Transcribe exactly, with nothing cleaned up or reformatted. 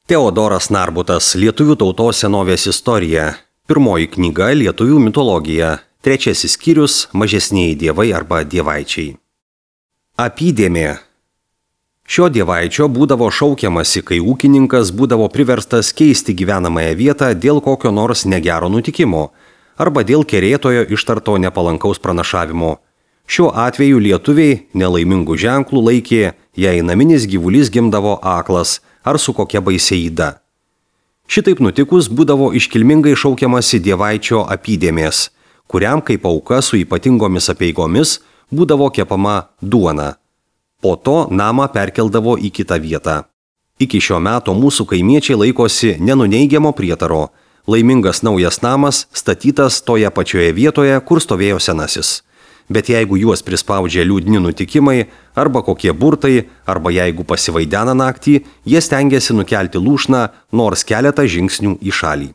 Teodoras Narbutas, Lietuvių tautos senovės istorija. Pirmoji knyga Lietuvių mitologija. Trečiasis skyrius Mažesnieji dievai arba dievaičiai. Apydėmė. Šio dievaičio būdavo šaukiamasi, kai ūkininkas būdavo priverstas keisti gyvenamąją vietą dėl kokio nors negero nutikimo arba dėl kerėtojo ištarto nepalankaus pranašavimo. Šiuo atveju lietuviai nelaimingų ženklų laikė, jei naminis gyvulys gimdavo aklas ar su kokia baisia yda. Šitaip nutikus būdavo iškilmingai šaukiamasi dievaičio apydėmės, kuriam kaip auka su ypatingomis apeigomis būdavo kepama duona. Po to namą perkeldavo į kitą vietą. Iki šio meto mūsų kaimiečiai laikosi nenuneigiamo prietaro. Laimingas naujas namas statytas toje pačioje vietoje, kur stovėjo senasis. Bet jeigu juos prispaudžia liūdni nutikimai, arba kokie burtai, arba jeigu pasivaidena naktį, jie stengiasi nukelti lūšną nors keletą žingsnių į šalį.